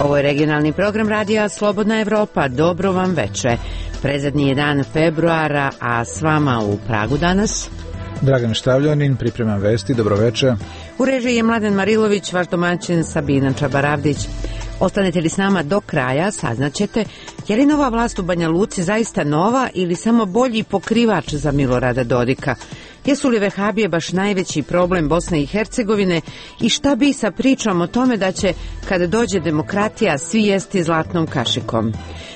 Ovo je regionalni program radija Slobodna Evropa. Dobro vam veče. Predzadnji je dan februara, a s vama u Pragu danas Dragan Štavljanin, pripremam vesti, dobroveče. U režiji je Mladen Marilović, vaš domaćin Sabina Čabaravdić. Ostanete li s nama do kraja, saznaćete je li nova vlast u Banja Luci zaista nova ili samo bolji pokrivač za Milorada Dodika. Jesu li vehabije baš najveći problem Bosne i Hercegovine i šta bi sa pričom o tome da će, kada dođe demokratija, svi jesti zlatnom kašikom.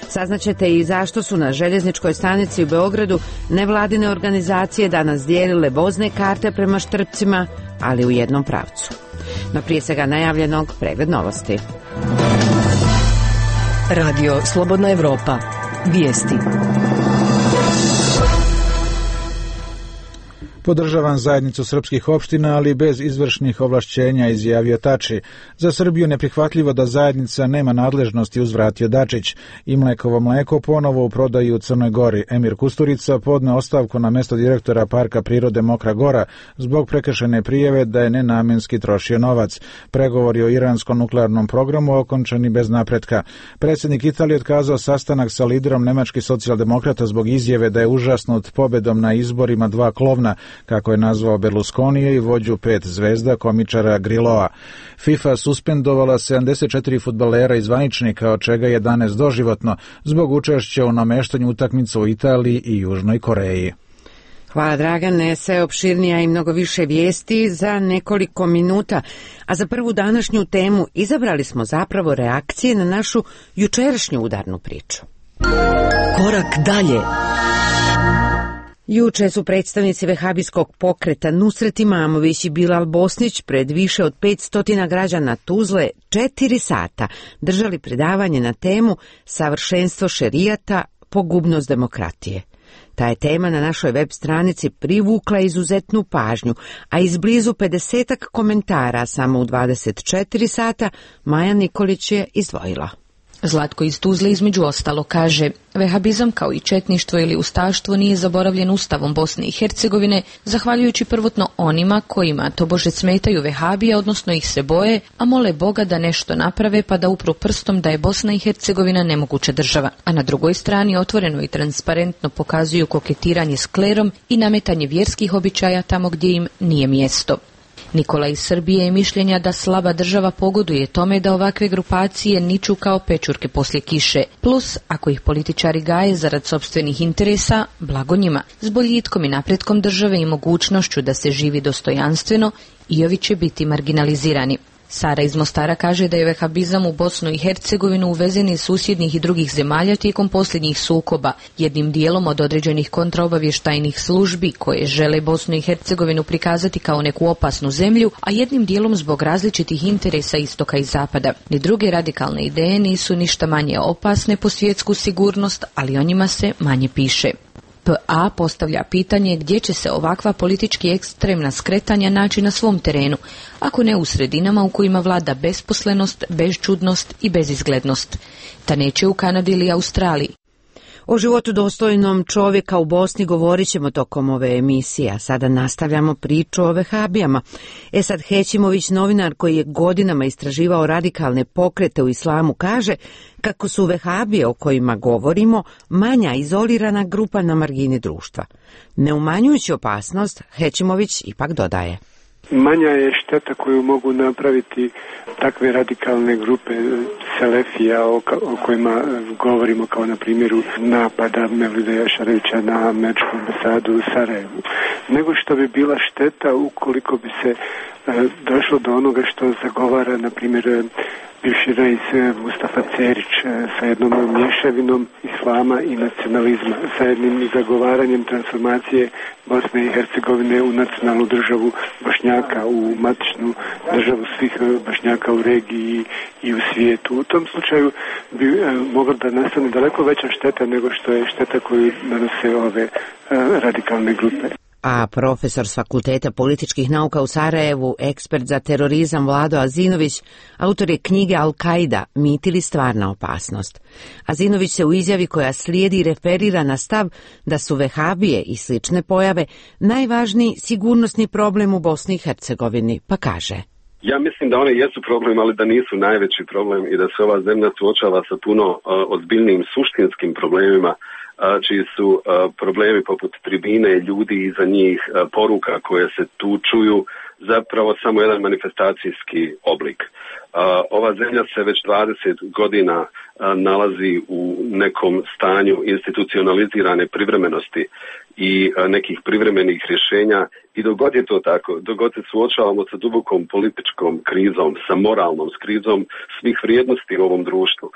Saznaćete i zašto su na željezničkoj stanici u Beogradu nevladine organizacije danas dijelile vozne karte prema Štrpcima, ali u jednom pravcu. No prije svega najavljenog pregled novosti. Radio Slobodna Evropa. Vijesti. Podržavam zajednicu srpskih opština, ali bez izvršnih ovlašćenja, izjavio Tači. Za Srbiju neprihvatljivo da zajednica nema nadležnosti, uzvratio Dačić. I Mlekovo mleko ponovo u prodaju u Crnoj Gori. Emir Kusturica podneo ostavku na mesto direktora Parka prirode Mokra Gora zbog prekršene prijave da je nenamenski trošio novac. Pregovori o iranskom nuklearnom programu okončani bez napretka. Predsjednik Italije otkazao sastanak sa liderom nemačkih socijaldemokrata zbog izjave da je užasnut pobedom na izborima dva klovna, kako je nazvao Berlusconije i vođu 5 zvezda komičara Grilloa. FIFA suspendovala 74 fudbalera i zvaničnika, od čega 11 doživotno, zbog učešća u nameštanju utakmica u Italiji i Južnoj Koreji. Hvala Dragane, sve opširnija i mnogo više vijesti za nekoliko minuta. A za prvu današnju temu izabrali smo zapravo reakcije na našu jučerašnju udarnu priču. Korak dalje. Juče su predstavnici vehabijskog pokreta Nusret Imamović i Bilal Bosnić pred više od 500 građana Tuzle 4 sata držali predavanje na temu Savršenstvo šerijata, pogubnost demokratije. Ta je tema na našoj web stranici privukla izuzetnu pažnju, a izblizu 50 komentara samo u 24 sata Maja Nikolić je izdvojila. Zlatko iz Tuzle između ostalo kaže: vehabizam kao i četništvo ili ustaštvo nije zaboravljen Ustavom Bosne i Hercegovine, zahvaljujući prvotno onima kojima tobože smetaju vehabije, odnosno ih se boje, a mole Boga da nešto naprave pa da upru prstom da je Bosna i Hercegovina nemoguća država, a na drugoj strani otvoreno i transparentno pokazuju koketiranje s klerom i nametanje vjerskih običaja tamo gdje im nije mjesto. Nikola iz Srbije je mišljenja da slaba država pogoduje tome da ovakve grupacije niču kao pečurke poslije kiše. Plus, ako ih političari gaje zarad sopstvenih interesa, blago njima. S boljitkom i napretkom države i mogućnošću da se živi dostojanstveno, i ovi će biti marginalizirani. Sara iz Mostara kaže da je vehabizam u Bosnu i Hercegovinu uvezen iz susjednih i drugih zemalja tijekom posljednjih sukoba, jednim dijelom od određenih kontraobavještajnih službi koje žele Bosnu i Hercegovinu prikazati kao neku opasnu zemlju, a jednim dijelom zbog različitih interesa istoka i zapada. Ni druge radikalne ideje nisu ništa manje opasne po svjetsku sigurnost, ali o njima se manje piše. PA postavlja pitanje gdje će se ovakva politički ekstremna skretanja naći na svom terenu, ako ne u sredinama u kojima vlada besposlenost, bezčudnost i bezizglednost. Ta neće u Kanadi ili Australiji. O životu dostojnom čovjeka u Bosni govorit ćemo tokom ove emisije, a sada nastavljamo priču o vehabijama. Esad Hećimović, novinar koji je godinama istraživao radikalne pokrete u islamu, kaže kako su vehabije o kojima govorimo manja izolirana grupa na margini društva. Ne umanjujući opasnost, Hećimović ipak dodaje: manja je šteta koju mogu napraviti takve radikalne grupe selefija o kojima govorimo, kao na primjeru napada Mevlida Jašarevića na američku ambasadu u Sarajevu, nego što bi bila šteta ukoliko bi se došlo do onoga što zagovara, na primjer, bivši reis Mustafa Cerić sa jednom mješavinom islama i nacionalizma, sa jednim zagovaranjem transformacije Bosne i Hercegovine u nacionalnu državu Bošnjaka, u matičnu državu svih Bošnjaka u regiji i u svijetu. U tom slučaju bi mogla da nastane daleko veća šteta nego što je šteta koju nanose ove radikalne grupe. A profesor s Fakulteta političkih nauka u Sarajevu, ekspert za terorizam Vlado Azinović, autor je knjige Al-Kaida, mit ili stvarna opasnost. Azinović se u izjavi koja slijedi referira na stav da su vehabije i slične pojave najvažniji sigurnosni problem u Bosni i Hercegovini, pa kaže: Ja mislim da one jesu problem, ali da nisu najveći problem i da se ova zemlja suočava sa puno ozbiljnim suštinskim problemima, čiji su problemi poput tribine, ljudi iza njih, poruka koje se tu čuju, zapravo samo jedan manifestacijski oblik. Ova zemlja se već 20 godina nalazi u nekom stanju institucionalizirane privremenosti i nekih privremenih rješenja i dok god je to tako, dok god se suočavamo sa dubokom političkom krizom, sa moralnom krizom svih vrijednosti u ovom društvu,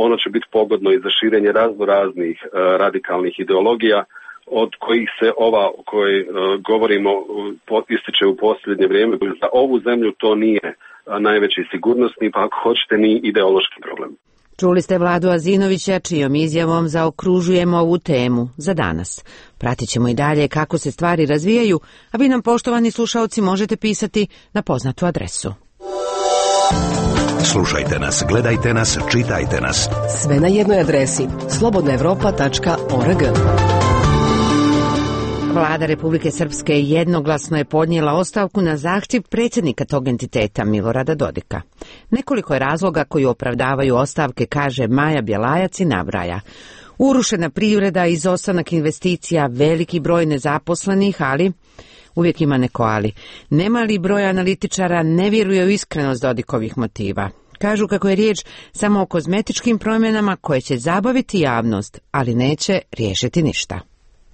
ono će biti pogodno i za širenje raznih radikalnih ideologija, od kojih se ova o kojoj govorimo ističe u posljednje vrijeme. Za ovu zemlju to nije najveći sigurnosni, pa ako hoćete ni ideološki problem. Čuli ste Vladu Azinovića, čijom izjavom zaokružujemo ovu temu za danas. Pratit ćemo i dalje kako se stvari razvijaju, a vi nam, poštovani slušaoci, možete pisati na poznatu adresu. Slušajte nas, gledajte nas, čitajte nas. Sve na jednoj adresi slobodnaevropa.org. Vlada Republike Srpske jednoglasno je podnijela ostavku na zahtjev predsjednika tog entiteta Milorada Dodika. Nekoliko je razloga koji opravdavaju ostavke, kaže Maja Bjelajac i nabraja. Urušena privreda, izostanak investicija, veliki broj nezaposlenih, ali uvijek ima neko ali. Nemali broj analitičara ne vjeruje u iskrenost Dodikovih motiva. Kažu kako je riječ samo o kozmetičkim promjenama koje će zabaviti javnost, ali neće riješiti ništa.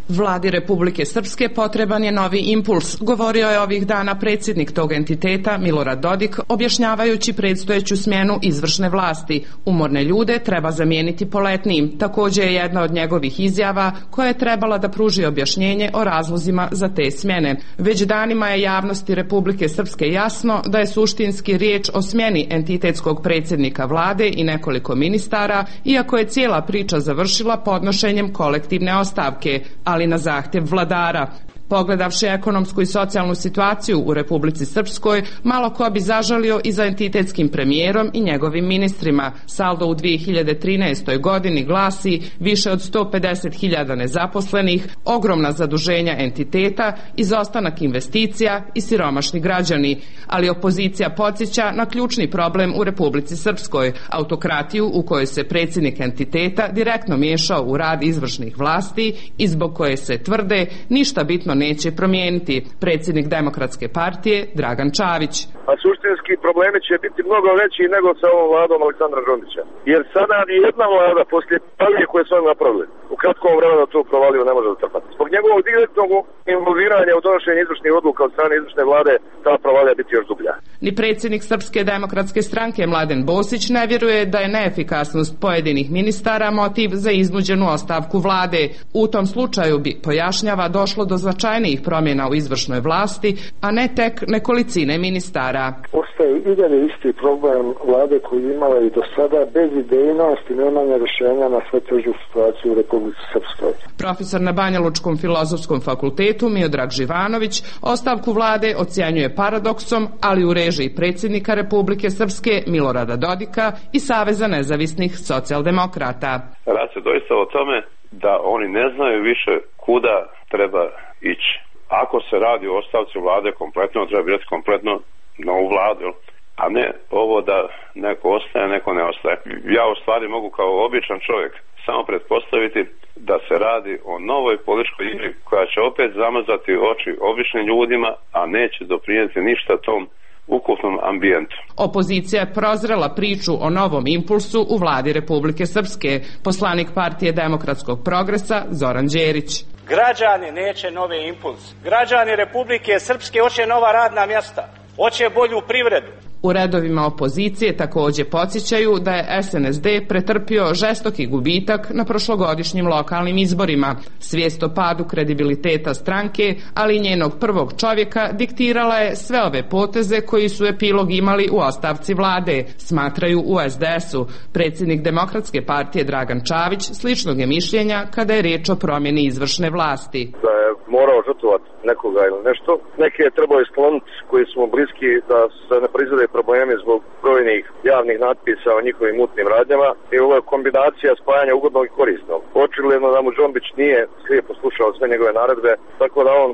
Vladi Republike Srpske potreban je novi impuls, govorio je ovih dana predsjednik tog entiteta Milorad Dodik, objašnjavajući predstojeću smjenu izvršne vlasti. Umorne ljude treba zamijeniti poletnijim. Također je jedna od njegovih izjava koja je trebala da pruži objašnjenje o razlozima za te smjene. Već danima je javnosti Republike Srpske jasno da je suštinski riječ o smjeni entitetskog predsjednika vlade i nekoliko ministara, iako je cijela priča završila podnošenjem kolektivne ostavke, ali na zahtjev vladara. Pogledavši ekonomsku i socijalnu situaciju u Republici Srpskoj, malo ko bi zažalio i za entitetskim premijerom i njegovim ministrima. Saldo u 2013. godini glasi više od 150.000 nezaposlenih, ogromna zaduženja entiteta, izostanak investicija i siromašni građani. Ali opozicija podsjeća na ključni problem u Republici Srpskoj, autokratiju u kojoj se predsjednik entiteta direktno miješao u rad izvršnih vlasti i zbog koje se tvrde ništa bitno neće promijeniti. Predsjednik Demokratske partije Dragan Čavić. A suštinski problemi će biti mnogo veći nego sa ovom vladom Aleksandra Đondića. Jer sada ni jedna vlada poslije provalije koje su oni napravili u kratkom vremenu tu provaliju ne može zatrpati. Zbog njegovog direktnog involviranja u donošenju izvršnih odluka od strane izvršne vlade ta provalija biti još dublja. Ni predsjednik Srpske demokratske stranke Mladen Bosić ne vjeruje da je neefikasnost pojedinih ministara motiv za iznuđenu ostavku vlade. U tom slučaju bi, pojašnjava, došlo do značajnijih promjena u izvršnoj vlasti, a ne tek nekolicine ministara. Ostaje i dalje isti problem vlade koju je imala i do sada, bez idejnosti, nemanja rješenja na sve težu situaciju u Republici Srpskoj. Profesor na Banjalučkom filozofskom fakultetu Miodrag Živanović ostavku vlade ocjenjuje paradoksom, ali u režiji predsjednika Republike Srpske Milorada Dodika i Saveza nezavisnih socijaldemokrata. Radi se doista o tome da oni ne znaju više kuda treba ići. Ako se radi o ostavci vlade kompletno, treba biti kompletno novu vladu, a ne ovo da neko ostaje, neko ne ostaje. Ja u stvari mogu kao običan čovjek samo pretpostaviti da se radi o novoj političkoj igri koja će opet zamazati oči običnim ljudima, a neće doprinijeti ništa tom ukupnom ambijentu. Opozicija je prozrela priču o novom impulsu u vladi Republike Srpske. Poslanik Partije demokratskog progresa Zoran Đerić. Građani neće novi impuls. Građani Republike Srpske hoće nova radna mjesta, hoće bolju privredu. U redovima opozicije također podsjećaju da je SNSD pretrpio žestoki gubitak na prošlogodišnjim lokalnim izborima. Svijest o padu kredibiliteta stranke, ali i njenog prvog čovjeka diktirala je sve ove poteze koji su epilog imali u ostavci vlade, smatraju u SDS-u. Predsjednik Demokratske partije Dragan Čavić sličnog je mišljenja kada je riječ o promjeni izvršne vlasti. Da je morao žrtvovati nekoga ili nešto. Neke je trebalo iskloniti koji smo bliski da se ne proizvode problemi zbog brojnih javnih natpisa o njihovim mutnim radnjama i ovo je kombinacija spajanja ugodnog i korisnog. Očigledno da mu Džombić nije slijepo slušao sve njegove naredbe, tako da on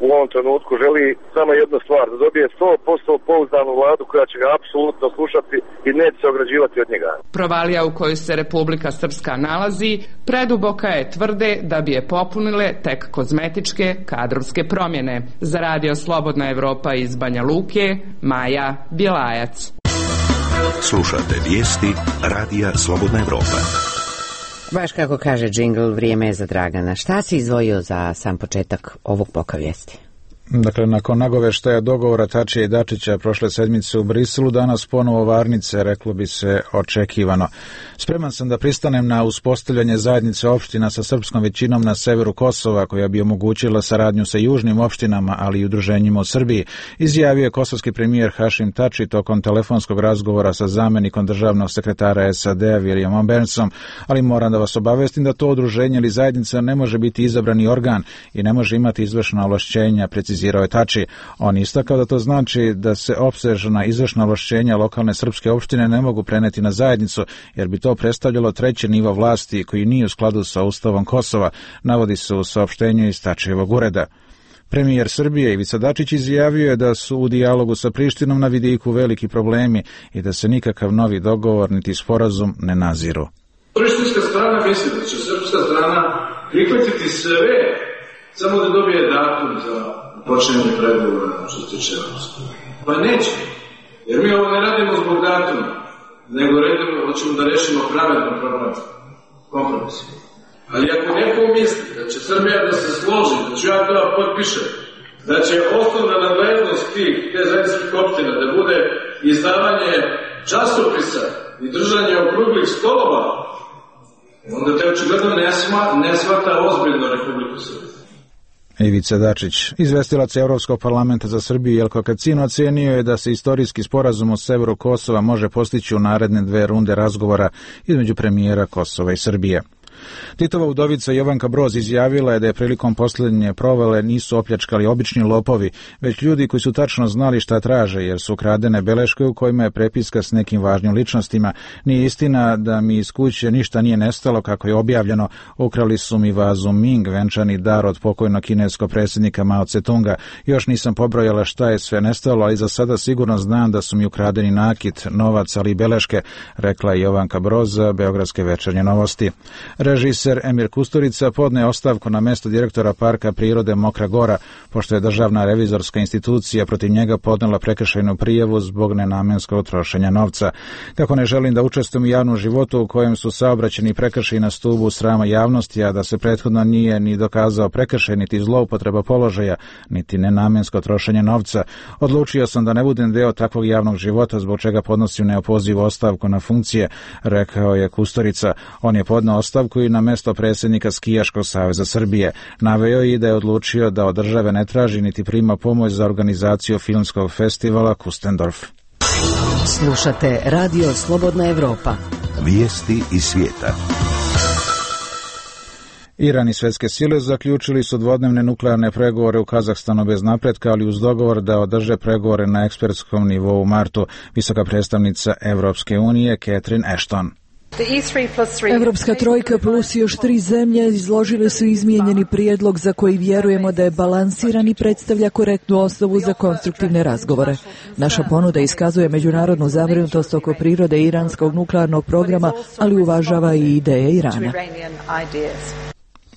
u ovom trenutku želi samo jednu stvar, da dobije 100% pouzdanu vladu koja će ga apsolutno slušati i neće se ograđivati od njega. Provalija u kojoj se Republika Srpska nalazi preduboka je, tvrde da bi je popunile tek kozmetičke kadrovske promjene. Za Radio Slobodna Evropa iz Banja Luke, Maja Bjelajac. Slušate vijesti Radija Slobodna Evropa. Baš kako kaže džingl, vrijeme je za Dragana. Šta si izdvojio za sam početak ovog bloka vijesti? Dakle, nakon nagoveštaja dogovora Tačija i Dačića prošle sedmice u Briselu, danas ponovo varnice, reklo bi se očekivano. Spreman sam da pristanem na uspostavljanje zajednice opština sa srpskom većinom na severu Kosova, koja bi omogućila saradnju sa južnim opštinama, ali i udruženjima u Srbiji, izjavio je kosovski premijer Hašim Tači tokom telefonskog razgovora sa zamenikom državnog sekretara SAD-a Williamom Burnsom, ali moram da vas obavestim da to udruženje ili zajednica ne može biti izabrani organ i ne može imati izvršna ovlašćenja, precizirao je Tači. On istakao da to znači da se opsežna izvršna ovlašćenja lokalne srpske opštine ne mogu preneti na zajednicu, jer bi to predstavljalo treći nivo vlasti koji nije u skladu sa Ustavom Kosova, navodi se u saopštenju iz Tačijevog ureda. Premijer Srbije Ivica Dačić izjavio je da su u dijalogu sa Prištinom na vidiku veliki problemi i da se nikakav novi dogovor niti sporazum ne naziru. Prištinska strana misli da će srpska strana prihvatiti sve samo da dobije datum za počinjanje pregovora što se tiče Evropske. Pa neće, jer mi ovo ne radimo zbog datuma, nego hoćemo da rešimo pravedno problem, kompromis. Ali ako neko misli da će Srbija da se složi, da ću ja to potpišem, da će osnovna nadležnost te zajedničkih opština da bude izdavanje časopisa i držanje okruglih stolova, onda te očigledno ne shvata ozbiljno Republiku Srbiju. Ivica Dačić, izvestilac Evropskog parlamenta za Srbiju Jelko Kacin, ocenio je da se istorijski sporazum o severu Kosova može postići u naredne 2 runde razgovora između premijera Kosova i Srbije. Titova udovica Jovanka Broz izjavila je da je prilikom posljednje provale nisu opljačkali obični lopovi, već ljudi koji su tačno znali šta traže, jer su ukradene beleške u kojima je prepiska s nekim važnim ličnostima. Nije istina da mi iz kuće ništa nije nestalo, kako je objavljeno. Ukrali su mi vazu Ming, venčani dar od pokojnog kineskog predsjednika Mao Tse-tunga. Još nisam pobrojala šta je sve nestalo, ali za sada sigurno znam da su mi ukradeni nakit, novac, ali i beleške, rekla je Jovanka Broz za Beogradske večernje novosti. Režiser Emir Kusturica podne ostavku na mesto direktora Parka prirode Mokra Gora, pošto je državna revizorska institucija protiv njega podnela prekršajnu prijavu zbog nenamenskog trošenja novca. Kako ne želim da učestvujem u javnom životu u kojem su saobraćeni prekršaji na stubu srama javnosti, a da se prethodno nije ni dokazao prekršaj, niti zloupotreba položaja, niti nenamensko trošenje novca, odlučio sam da ne budem deo takvog javnog života, zbog čega podnosim neopozivu ostavku na funkcije, rekao je Kusturica. On je podneo ostavku i na mesto predsjednika Skijaškog saveza Srbije. Naveo i da je odlučio da od države ne traži niti prima pomoć za organizaciju filmskog festivala Kustendorf. Slušate Radio Slobodna Evropa. Vijesti iz svijeta. Iran i svetske sile zaključili su dvodnevne nuklearne pregovore u Kazahstanu bez napretka, ali uz dogovor da održe pregovore na ekspertskom nivou u martu. Visoka predstavnica Evropske unije Catherine Ashton. Evropska trojka plus još 3 zemlje izložile su izmijenjeni prijedlog za koji vjerujemo da je balansiran i predstavlja korektnu osnovu za konstruktivne razgovore. Naša ponuda iskazuje međunarodnu zabrinutost oko prirode iranskog nuklearnog programa, ali uvažava i ideje Irana.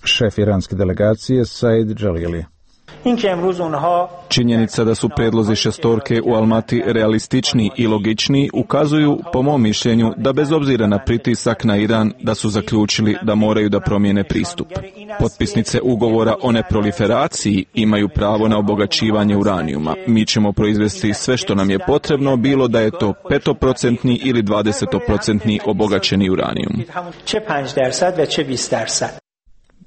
Šef iranske delegacije Said Jalili. Činjenica da su predlozi šestorke u Almati realistični i logični ukazuju, po mom mišljenju, da bez obzira na pritisak na Iran, da su zaključili da moraju da promijene pristup. Potpisnice ugovora o neproliferaciji imaju pravo na obogaćivanje uranijuma. Mi ćemo proizvesti sve što nam je potrebno, bilo da je to 5% ili 20% obogaćeni uranijum.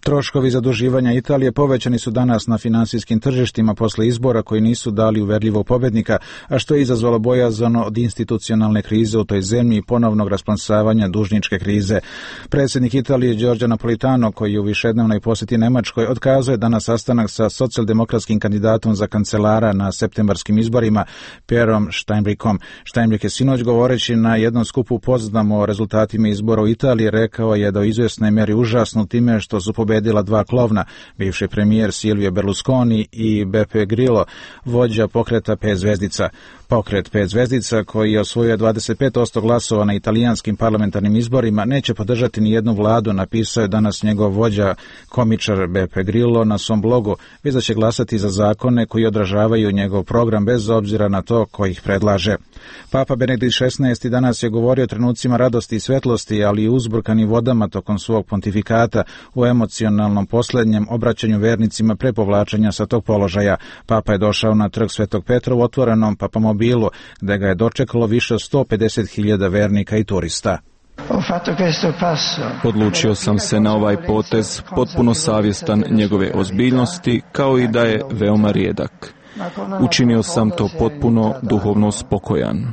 Troškovi zaduživanja Italije povećani su danas na finansijskim tržištima posle izbora koji nisu dali uverljivog pobednika, a što je izazvalo bojazan od institucionalne krize u toj zemlji i ponovnog rasplamsavanja dužničke krize. Predsjednik Italije Giorgio Napolitano, koji je u višednevnoj posjeti Nemačkoj, otkazao je danas sastanak sa socijaldemokratskim kandidatom za kancelara na septembarskim izborima, Pierom Steinbrückom. Steinbrück je sinoć, govoreći na jednom skupu upoznamo o rezultatima izbora u Italiji, rekao je da u izvjesnoj meri užasnu time što su pobedila dva klovna, bivši premijer Silvio Berlusconi i Beppe Grillo, vođa pokreta 5 zvezdica. Pokret 5 zvezdica, koji je osvojio 25% glasova na italijanskim parlamentarnim izborima, neće podržati ni jednu vladu, napisao je danas njegov vođa, komičar Beppe Grillo, na svom blogu, već da će glasati za zakone koji odražavaju njegov program bez obzira na to ko ih predlaže. Papa Benedikt XVI danas je govorio o trenucima radosti i svetlosti, ali i uzburkanim vodama tokom svog pontifikata u emocionalnom posljednjem obraćanju vernicima pre povlačenja sa tog položaja. Papa je došao na trg Svetog Petra u otvorenom papamobilu, gde ga je dočekalo više od 150.000 vernika i turista. Odlučio sam se na ovaj potez, potpuno savjestan njegove ozbiljnosti, kao i da je veoma rijedak. Učinio sam to potpuno duhovno spokojan.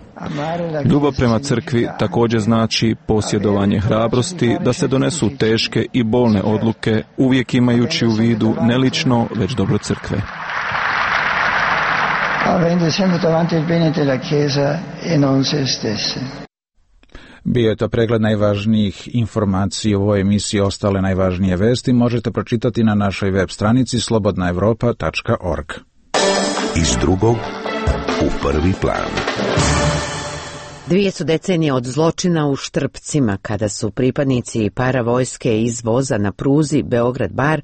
Ljubav prema crkvi također znači posjedovanje hrabrosti da se donesu teške i bolne odluke, uvijek imajući u vidu ne lično, već dobro crkve. Bio je to pregled najvažnijih informacija u ovoj emisiji. Ostale najvažnije vesti možete pročitati na našoj web stranici slobodnaevropa.org. Iz drugog u prvi plan. 2 su decenije od zločina u Štrpcima, kada su pripadnici paravojske iz voza na pruzi Beograd-Bar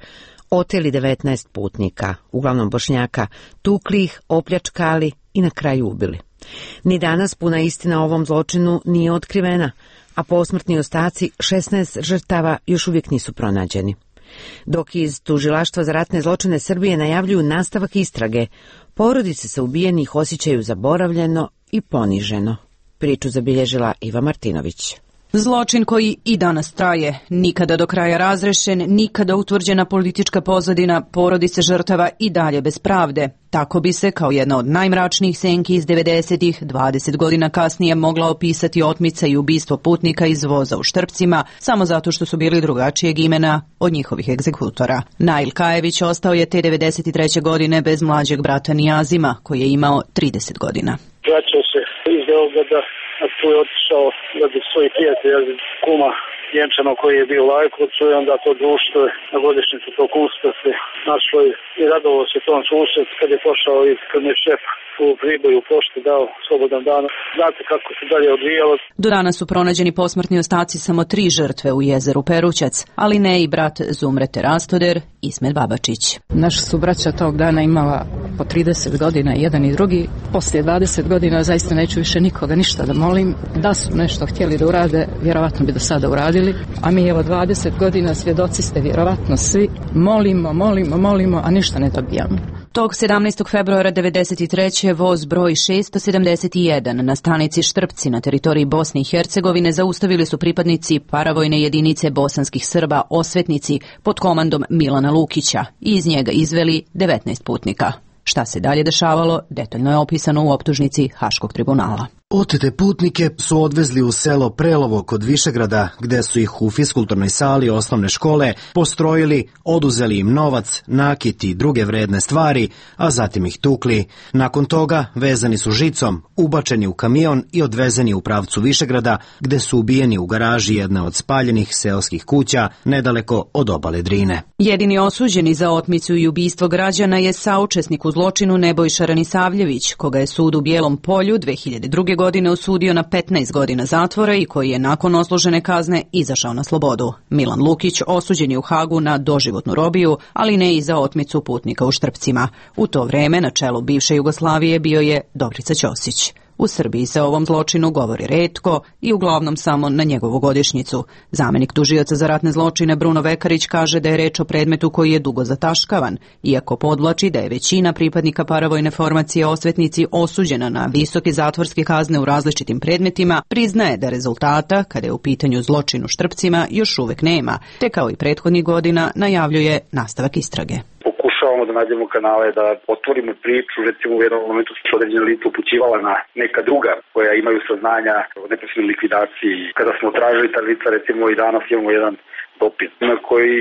oteli 19 putnika, uglavnom Bošnjaka, tukli ih, opljačkali i na kraju ubili. Ni danas puna istina o ovom zločinu nije otkrivena, a posmrtni ostaci 16 žrtava još uvijek nisu pronađeni. Dok iz Tužilaštva za ratne zločine Srbije najavljuju nastavak istrage, porodice se ubijenih osjećaju zaboravljeno i poniženo. Priču zabilježila Iva Martinović. Zločin koji i danas traje, nikada do kraja razrešen, nikada utvrđena politička pozadina, porodice žrtava i dalje bez pravde. Tako bi se, kao jedna od najmračnijih senki iz 90-ih, 20 godina kasnije mogla opisati otmica i ubistvo putnika iz voza u Štrpcima, samo zato što su bili drugačijeg imena od njihovih egzekutora. Nail Kajević ostao je te 93. godine bez mlađeg brata Nijazima, koji je imao 30 godina. Vraćao se iz Beograda, a tu je otišao radi svojih prijatelja, kuma Vjenčano koji je bio u Lajkovcu, i onda to društvo na godišnjicu tog usta se našlo i radovao se tom susret kad je pošao i kad je šef u Priboju u pošti dao slobodan dan. Znate kako se dalje odvijalo. Do danas su pronađeni posmrtni ostaci samo 3 žrtve u jezeru Perućac, ali ne i brat Zumrete Rastoder, Ismet Babačić. Naša su braća tog dana imala po 30 godina, jedan i drugi. Poslije 20 godina zaista neću više nikoga ništa da molim. Da su nešto htjeli da urade, vjerovatno bi do sada uradili. A mi evo 20 godina svjedoci ste vjerovatno svi. Molimo, a ništa ne dobijamo. Tog 17. februara 1993. voz broj 671 na stanici Štrpci na teritoriji Bosne i Hercegovine zaustavili su pripadnici paravojne jedinice bosanskih Srba Osvetnici pod komandom Milana Lukića i iz njega izveli 19 putnika. Šta se dalje dešavalo, detaljno je opisano u optužnici Haškog tribunala. Otete putnike su odvezli u selo Prelovo kod Višegrada, gde su ih u fiskulturnoj sali osnovne škole postrojili, oduzeli im novac, nakit i druge vredne stvari, a zatim ih tukli. Nakon toga vezani su žicom, ubačeni u kamion i odvezeni u pravcu Višegrada, gde su ubijeni u garaži jedne od spaljenih seoskih kuća nedaleko od obale Drine. Jedini osuđeni za otmicu i ubistvo građana je saučesnik u zločinu Nebojša Ranisavljević, koga je sud u Bijelom Polju 2002. godine osudio na 15 godina zatvora i koji je nakon odslužene kazne izašao na slobodu. Milan Lukić osuđen je u Hagu na doživotnu robiju, ali ne i za otmicu putnika u Štrpcima. U to vreme na čelu bivše Jugoslavije bio je Dobrica Ćosić. U Srbiji se o ovom zločinu govori retko i uglavnom samo na njegovu godišnjicu. Zamenik tužioca za ratne zločine Bruno Vekarić kaže da je reč o predmetu koji je dugo zataškavan, iako podvlači da je većina pripadnika paravojne formacije osvetnici osuđena na visoke zatvorske kazne u različitim predmetima, priznaje da rezultata, kada je u pitanju zločin u Štrpcima, još uvek nema, te kao i prethodnih godina najavljuje nastavak istrage. Pokušavamo da nađemo kanale, da otvorimo priču, recimo u jednom momentu su određene lica upućivala na neka druga koja imaju saznanja o neposrednoj likvidaciji. Kada smo tražili ta lica, recimo i danas imamo jedan dopis na koji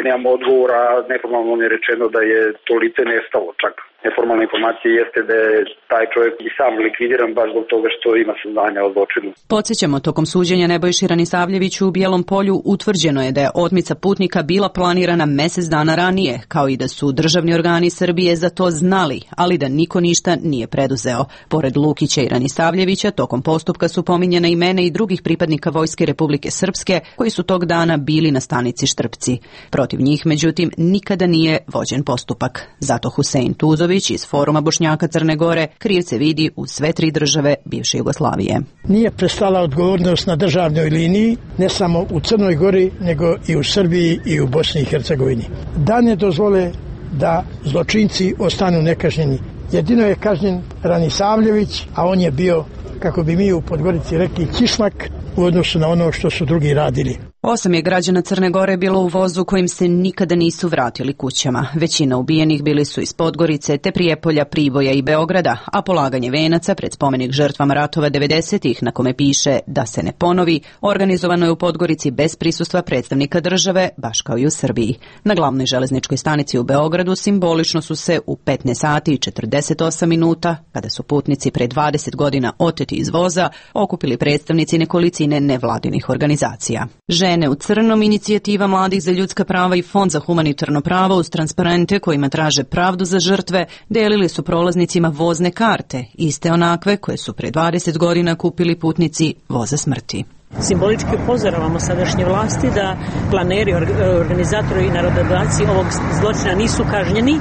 nemamo odgovora, neformalno je rečeno da je to lice nestalo čak. Neformalna informacija jeste da je taj čovjek i sam likvidiran baš zbog toga što ima saznanja o zločinu. Podsjećamo, tokom suđenja Nebojši Ranisavljeviću u Bijelom Polju utvrđeno je da je otmica putnika bila planirana mesec dana ranije, kao i da su državni organi Srbije za to znali, ali da niko ništa nije preduzeo. Pored Lukića i Ranisavljevića, tokom postupka su pominjena imena i drugih pripadnika Vojske Republike Srpske, koji su tog dana bili na stanici Štrpci. Protiv njih, međutim, nikada nije vođen postupak. Zato Husein Tuzović iz Foruma Bošnjaka Crne Gore krivce vidi u sve tri države bivše Jugoslavije. Nije prestala odgovornost na državnoj liniji, ne samo u Crnoj Gori, nego i u Srbiji i u Bosni i Hercegovini. Da ne dozvole da zločinci ostanu nekažnjeni. Jedino je kažnjen Ranisavljević, a on je bio, kako bi mi u Podgorici rekli, kišmak u odnosu na ono što su drugi radili. 8 je građana Crne Gore bilo u vozu kojim se nikada nisu vratili kućama. Većina ubijenih bili su iz Podgorice, te Prijepolja, Priboja i Beograda, a polaganje venaca pred spomenik žrtvama ratova 90-ih, na kome piše da se ne ponovi, organizovano je u Podgorici bez prisustva predstavnika države, baš kao i u Srbiji. Na glavnoj železničkoj stanici u Beogradu simbolično su se u 15 sati i 48 minuta, kada su putnici pre 20 godina oteti iz voza, okupili predstavnici nekolicine nevladinih organizacija. Žene u crnom, Inicijativa mladih za ljudska prava i Fond za humanitarno pravo uz transparente kojima traže pravdu za žrtve delili su prolaznicima vozne karte, iste onakve koje su pre 20 godina kupili putnici voza smrti. Simbolički upozoravamo sadašnje vlasti da planeri, organizatori i narododavci ovog zločina nisu kažnjeni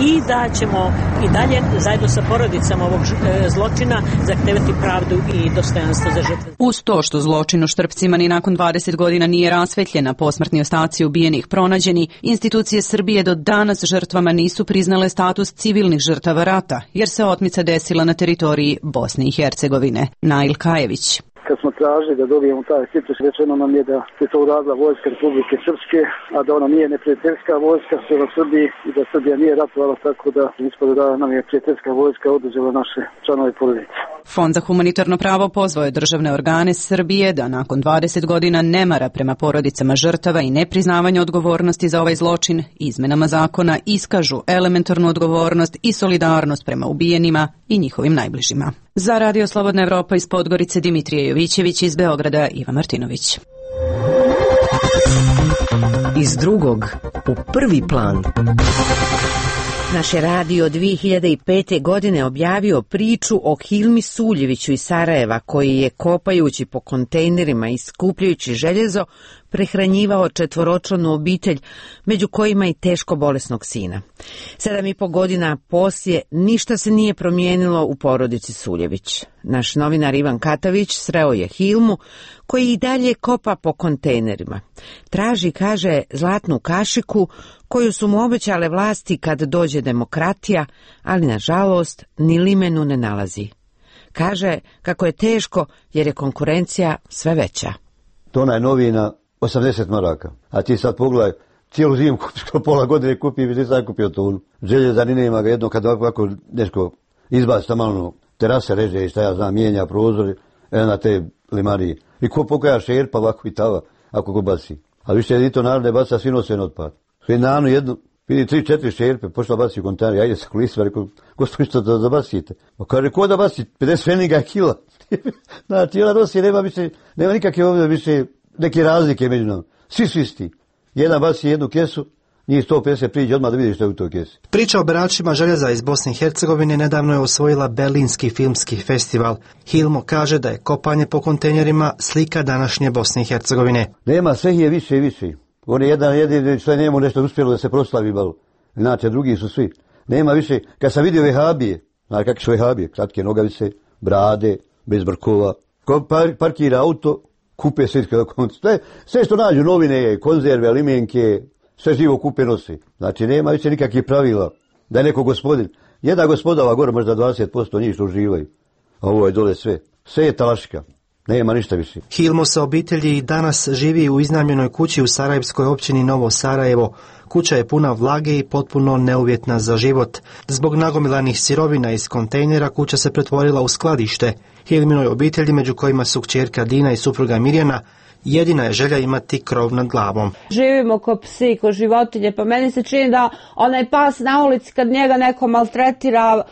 i da ćemo i dalje zajedno sa porodicama ovog zločina zahtevati pravdu i dostojanstvo za žrtve. Uz to što zločin u Štrpcima ni nakon 20 godina nije rasvetljena, posmrtni ostaci ubijenih pronađeni, institucije Srbije do danas žrtvama nisu priznale status civilnih žrtava rata, jer se otmica desila na teritoriji Bosne i Hercegovine. Nail Kajević. Kad smo tražili da dobijemo taj status, rečeno nam je da se to uradila Vojska Republike Srpske, a da ona nije neprijateljska vojska prema Srbiji i da Srbija nije ratovala, tako da ispada da nam je prijateljska vojska oduzela naše članove porodice. Fond za humanitarno pravo pozvao je državne organe Srbije da nakon 20 godina nemara prema porodicama žrtava i nepriznavanja odgovornosti za ovaj zločin izmenama zakona iskažu elementarnu odgovornost i solidarnost prema ubijenima i njihovim najbližima. Za Radio Slobodna Evropa iz Podgorice Dimitrije Jovićević, iz Beograda Iva Martinović. Iz drugog u prvi plan. Naš je radio 2005. godine objavio priču o Hilmi Suljeviću iz Sarajeva, koji je kopajući po kontejnerima i skupljajući željezo prehranjivao 4-članu obitelj, među kojima i teško bolesnog sina. 7,5 godina poslije ništa se nije promijenilo u porodici Suljević. Naš novinar Ivan Katavić sreo je Hilmu, koji i dalje kopa po kontejnerima. Traži, kaže, zlatnu kašiku koju su mu obećale vlasti kad dođe demokratija, ali nažalost ni limenu ne nalazi. Kaže kako je teško jer je konkurencija sve veća. Tona je novina 80 maraka, a ti sad pogledaj, cijelu zimu pola godine kupi i nisam kupio tonu. Željeza ni nema ga, jedno kad ovako nešto izbaci tamo terase reže i šta ja znam, mijenja prozori, na te limarije. I ko pokaja šerpa ovako i tava, ako ko baci. A više i to narod ne baca, svi nose otpad. Sve nanu jednu, vidi 3-4 šerpe, pošla baci u kontejner, ajde se kolisima, rekao, gospodin što da bacite? Pa kaže, ko da baci? 50 feninga kila. Znači, ona nosi, nema nikakve ovdje više neke razlike među nama. Svi su isti. Jedan baci jednu kesu, njih 150 priđe odmah da vidi što je u toj kesi. Priča o beračima željeza iz Bosne i Hercegovine nedavno je osvojila Berlinski filmski festival. Hilmo kaže da je kopanje po kontejnerima slika današnje Bosne i Hercegovine. Nema, sve je više i više. On je jedan jedini što je njemu nešto uspjelo da se proslavi malo. Znači, drugi su svi. Nema više. Kad sam vidio vehabije, znači kakve su vehabije, kratke nogavice, brade, bez brkova. Ko parkira auto, kupe sve što nađu, novine, konzerve, limenke, sve živo kupe nosi. Znači nema više nikakvih pravila da je neko gospodin. Jedna gospoda ova gore možda 20% njih što uživaju, a ovo je dole sve. Sve je talaška. Nema ništa više. Hilmo sa obitelji danas živi u iznajmljenoj kući u sarajevskoj općini Novo Sarajevo. Kuća je puna vlage i potpuno neuvjetna za život. Zbog nagomilanih sirovina iz kontejnera kuća se pretvorila u skladište. Hilminoj obitelji, među kojima su kćerka Dina i supruga Mirjana, jedina je želja imati krov nad glavom. Živimo ko psi, ko životinje, pa meni se čini da onaj pas na ulici kad njega neko maltretira,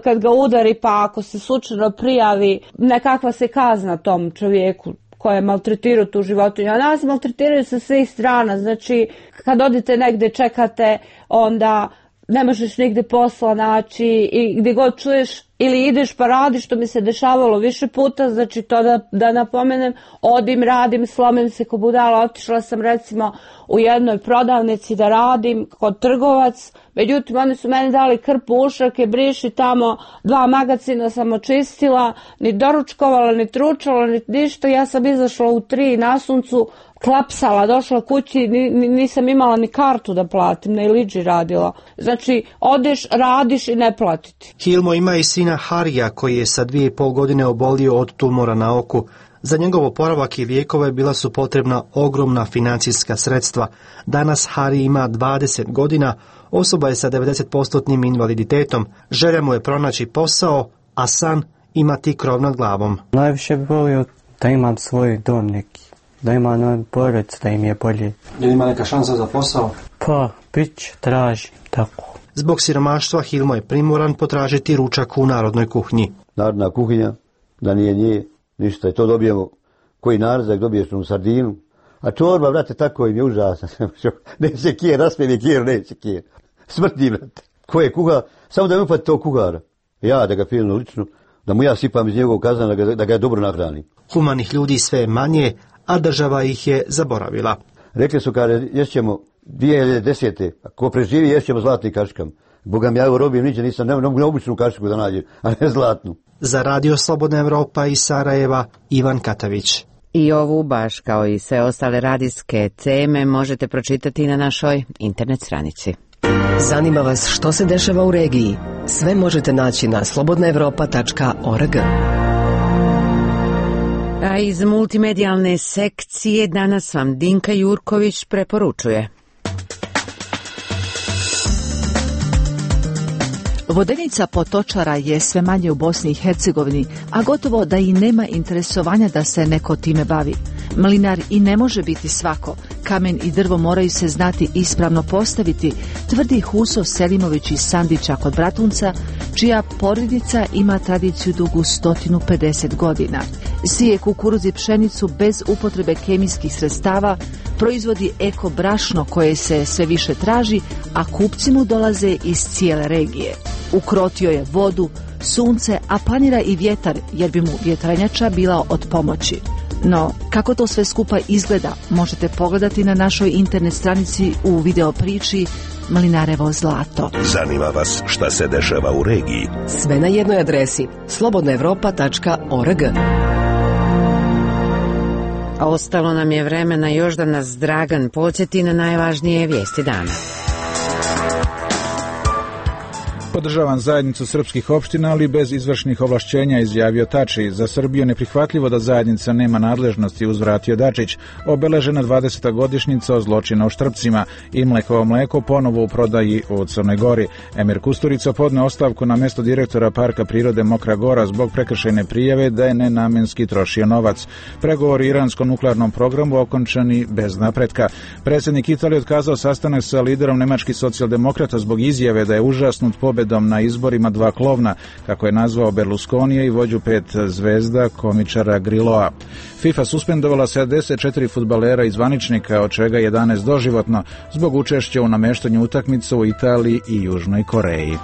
kad ga udari, pa ako se slučajno prijavi, nekakva se kazna tom čovjeku koja je maltretirao tu životinju. A nas maltretiraju sa svih strana, znači kad odite negdje čekate, onda ne možeš nigdje posla naći i gdje god čuješ ili ideš pa radiš, što mi se dešavalo više puta, znači to da napomenem, odim, radim, slomim se ko budala, otišla sam recimo u jednoj prodavnici da radim kod trgovac, međutim oni su meni dali krpu ušake, briši tamo, 2 magacina sam očistila, ni doručkovala, ni tručala, ni ništa, ja sam izašla u 3 na suncu, klapsala, došla kući, nisam imala ni kartu da platim, ne liđi radila. Znači, odeš, radiš i ne platiti. Hilmo ima i sina Harija koji je sa 2,5 godine obolio od tumora na oku. Za njegov oporavak i lijekove bila su potrebna ogromna financijska sredstva. Danas Hari ima 20 godina, osoba je sa 90% invaliditetom. Želja mu je pronaći posao, a san imati krov nad glavom. Najviše bi volio da imam svoj dom neki, da ima porodicu, da im je bolje. Je ima neka šansa za posao? Pa, bit tražim, tako. Zbog siromaštva Hilmo je primoran potražiti ručak u narodnoj kuhinji. Narodna kuhinja, da nije nje, ništa, i to dobijemo, koji narzak dobiješ u sardinu, a čorba, brate, tako im je užasna. Neće kijer, raspjeni kijer, neće kijer. Smrti, brate. Ko je kuhar, samo da mi upati tog kuhara. Ja da ga pilno lično, da mu ja sipam iz njegovog kazana, da ga dobro nahranim. Humanih ljudi sve manje, a država ih je zaboravila. Rekli su kada ješćemo 2010. Ko preživi ješćemo zlatni kaškam. Boga mi ja u robim niđe nisam, ne običnu kašku da nađem, a ne zlatnu. Za Radio Slobodna Evropa iz Sarajeva, Ivan Katavić. I ovu, baš kao i sve ostale radijske teme, možete pročitati na našoj internet stranici. Zanima vas što se dešava u regiji? Sve možete naći na slobodnaevropa.org. A iz multimedijalne sekcije danas vam Dinka Jurković preporučuje. Vodenica potočara je sve manje u Bosni i Hercegovini, a gotovo da i nema interesovanja da se neko time bavi. Mlinar i ne može biti svako. Kamen i drvo moraju se znati ispravno postaviti, tvrdi Huso Selimović iz Sandića kod Bratunca, čija porodica ima tradiciju dugu 150 godina. Sije kukuruz i pšenicu bez upotrebe kemijskih sredstava, proizvodi eko brašno koje se sve više traži, a kupci mu dolaze iz cijele regije. Ukrotio je vodu, sunce, a planira i vjetar, jer bi mu vjetranjača bila od pomoći. No, kako to sve skupa izgleda, možete pogledati na našoj internet stranici u video priči Mlinarevo zlato. Zanima vas šta se dešava u regiji? Sve na jednoj adresi slobodnaevropa.org. A ostalo nam je vremena još da nas Dragan podsjeti na najvažnije vijesti dana. Podržavam zajednicu srpskih opština, ali bez izvršnih ovlašćenja, izjavio Tači. Za Srbiju neprihvatljivo da zajednica nema nadležnosti, uzvratio Dačić. Obeležena 20. godišnjica o zločina u Štrpcima i Mlekovo mleko ponovo u prodaji u Crnoj Gori. Emir Kusturica podneo ostavku na mjesto direktora Parka prirode Mokra Gora zbog prekršajne prijave da je nenamenski trošio novac. Pregovori o iranskom nuklearnom programu okončani bez napretka. Predsjednik Italije otkazao sastanak sa liderom nemačkih socijaldemokrata zbog izjave da je užasnut pobedom na izborima 2 klovna, kako je nazvao Berlusconija i vođu 5 zvezda komičara Grilloa. FIFA suspendovala 74 fudbalera i zvaničnika, od čega 11 doživotno, zbog učešća u namještanju utakmica u Italiji i Južnoj Koreji.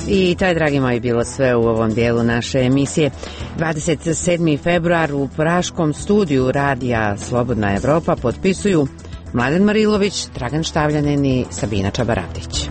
I to je, dragi moji, bilo sve u ovom dijelu naše emisije. 27. februar u praškom studiju radija Slobodna Evropa potpisuju Mladen Marilović, Dragan Štavljanin i Sabina Čabaravdić.